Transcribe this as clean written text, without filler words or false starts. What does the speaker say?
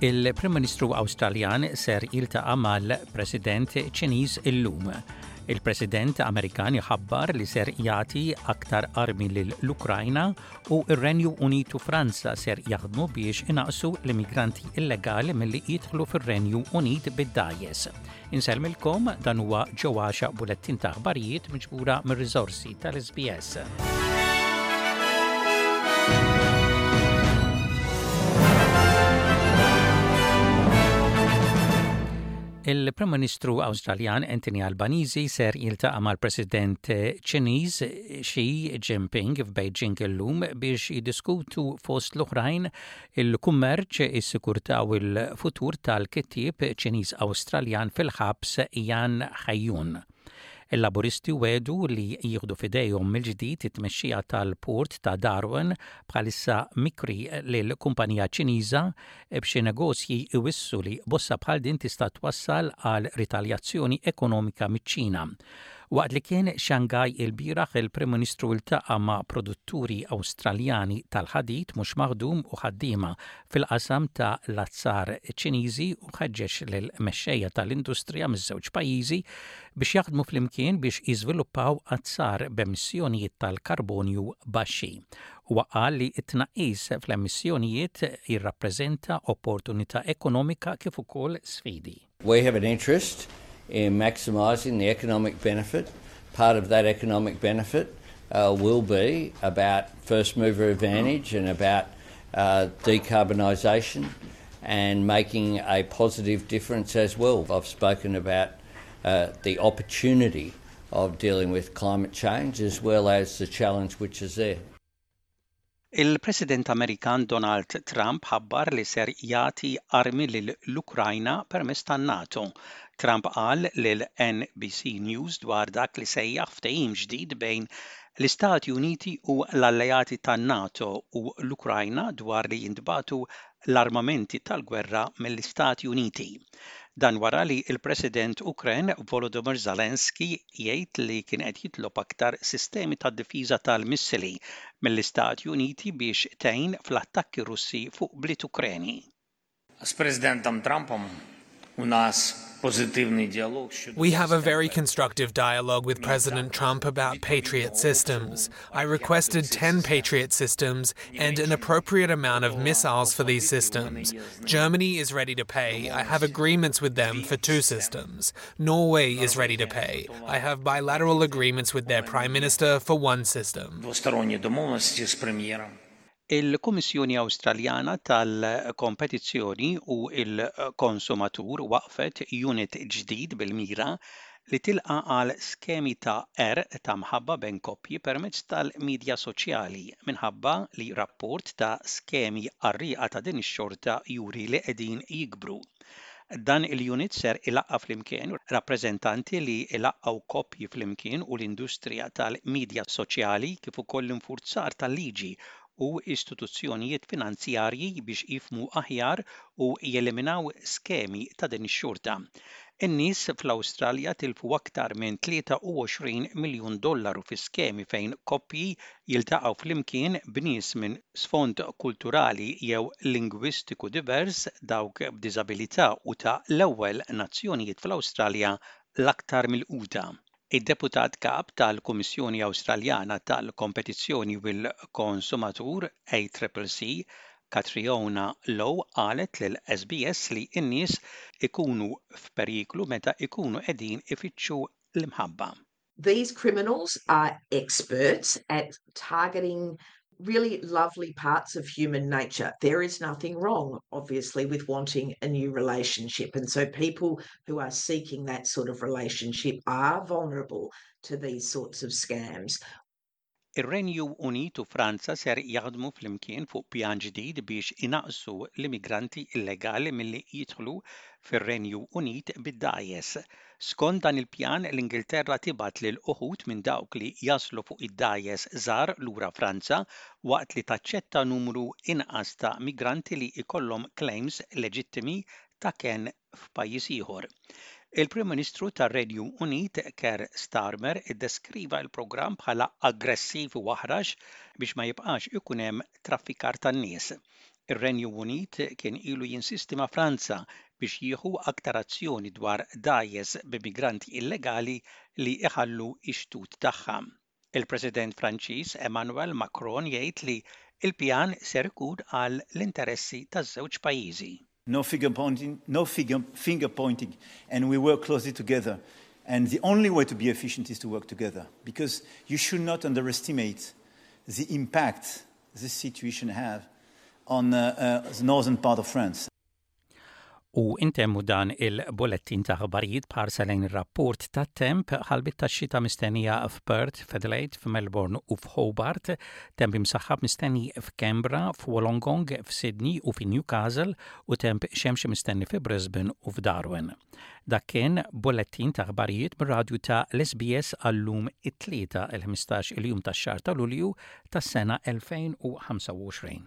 Il-Prim Ministru Awstraljan ser jiltaqa' mal-President Ċiniż illum. Il-President Amerikan iħabbar li ser jagħti aktar armi lill-Ukrajna u r-Renju Unit u Franza ser jaħdmu biex inaqqsu l-immigranti illegali milli jidħlu fir-Renju Unit bid-dgħajjes. Insellmilkom dan huwa ġo għaxa bulettin ta' aħbarijiet miġbura mir-riżorsi tal-SBS. Il-Prim Ministru Awstraljan Anthony Albanese ser jiltaqa' mal-President Ċiniż Xi Jinping f'Beijing illum biex jiddiskutu fost l-oħrajn il-kummerċ, is-sikurtà u l-futur tal-kittieb Ċiniż-Awstraljan fil-ħabs Yan Haiyun. Il-Laburisti wegħdu li jieħdu f'idejhom mill-ġdid it-tmexxija tal-port ta' Darwin bħalissa mikri lil kumpanija Ċiniża b'xi negozji jwissu li bossa bħal din tista' twassal għal ritaljazzjoni ekonomika miċ-Ċina. Waqt li kien Shanghai ilbieraħ il-Prim Ministru ltaqa' ma' produtturi Awstraljani tal-ħadid mhux maħdum u ħaddiema fil-qasam ta' l-azzar Ċiniżi u ħeġġeġ lill-mexxejja tal-industrija miż-żewġ pajjiżi biex jaħdmu flimkien biex jiżviluppaw azzar b'emissjonijiet tal-karbonju baxxi. Huwa qal li t-tnaqqis fl-emissjonijiet jirrappreżenta opportunità ekonomika kif ukoll sfidi. We have an interest in maximising the economic benefit. Part of that economic benefit uh, will be about first mover advantage and about uh, decarbonisation and making a positive difference as well. I've spoken about uh, the opportunity of dealing with climate change as well as the challenge which is there. Il-President Amerikan Donald Trump ħabbar li ser jagħti armi lill-Ukrajna permezz tan-NATO. Trump qal lil NBC News dwar dak li sejjaħ ftehim ġdid bejn l-Istati Uniti u l-alleati tan-NATO u l-Ukrajna dwar li jintbagħtu l-armamenti tal-gwerra mill-Istati Uniti. Dan wara li l-President Ukren Volodymyr Zelensky jgħid li kien qed jitlob aktar sistemi ta' difiża tal-missili mill-Istati Uniti biex tgħin fl-attakki Russi fuq bliet Ukreni. С президентом Трампом у нас We have a very constructive dialogue with President Trump about Patriot systems. I requested 10 Patriot systems and an appropriate amount of missiles for these systems. Germany is ready to pay. I have agreements with them for two systems. Norway is ready to pay. I have bilateral agreements with their prime minister for one system. Il-Kummissjoni Awstraljana tal-Kompetizzjoni u l-Konsumatur waqqfet unit ġdid bil-mira li tilqa' għal skemi ta' qerq ta' mħabba bejn koppji permezz tal-midja soċjali minħabba li rapport ta' skemi qarrieqa ta' din ix-xorta juri li qegħdin jikbru. Dan il-unit ser ilaqqa' flimkien rappreżentanti li jlaqqgħu koppji flimkien u l-industrija tal-midja soċjali kif ukoll l-infurzar tal-liġi u istituzzjonijiet finanzjarji biex jifhmu aħjar u jeliminaw skemi ta' din ix-xorta. In-nies fl-Awstralja tilfu aktar minn 23 miljun dollaru fi skemi fejn koppji jiltaqgħu flimkien b'nies minn sfond kulturali jew lingwistiku divers, dawk b'diżabilità u ta' l-ewwel nazzjonijiet fl-Awstralja l-aktar milquta. Id-Deputat Kap tal-Kummissjoni Awstraljana tal-Kompetizzjoni u l-Konsumatur, ACCC, Catriona Lowe qalet lil SBS li n-nies ikunu f'periklu meta ikunu qegħdin ifittxu l-imħabba. These criminals are experts at targeting really lovely parts of human nature. There is nothing wrong, obviously, with wanting a new relationship. And so people who are seeking that sort of relationship are vulnerable to these sorts of scams. Ir-Renju Unit u Franza ser jaħdmu flimkien fuq pjan ġdid biex inaqqsu l-immigranti illegali milli jidħlu fir-Renju Unit bid-dgħajjes. Skont dan il-pjan, l-Ingilterra tibgħat lil uħud minn dawk li jaslu fuq id-dgħajjes żgħar lura Franza waqt li taċċetta numru inqas ta' migranti li jkollhom claims leġittimi ta' kenn f'pajjiż ieħor. Il-Prim Ministru tar-Renju Unit Keir Starmer iddeskriva l-programm bħala aggressiv u aħrax biex ma jibqax ikun hemm traffikar tan-nies. Ir-Renju Unit kien ilu jinsisti ma' Franza biex jieħu aktar azzjoni dwar dgħajjes b'immigranti illegali li jħallu x-xtut tagħha. Il-President Franċiż Emmanuel Macron jgħid li l-pjan ser ikun għal l-interessi taż-żewġ pajjiżi. No finger pointing, no finger, finger pointing, and we work closely together. And the only way to be efficient is to work together, because you should not underestimate the impact this situation have on uh, uh, the northern part of France. U intemmu dan il-bulettin ta' aħbarijiet b'ħarsa lejn ir-rapport tat-temp ħalbiet tax-xita mistennija f'Perth, f'Adelaide, f'Melbourne u f'Hobart, temp imsaħħab mistenni f'Canberra, f'Wollongong, f'Sydney u fi Newcastle u temp xemxi mistenni fi Brisbane u f'Darwin. Dak kien bulettin ta' aħbarijiet mir-radju ta' l-SBS għal-lum it-Tlieta il-15 il-jum tax-xahar ta' Lulju tas-sena 2025.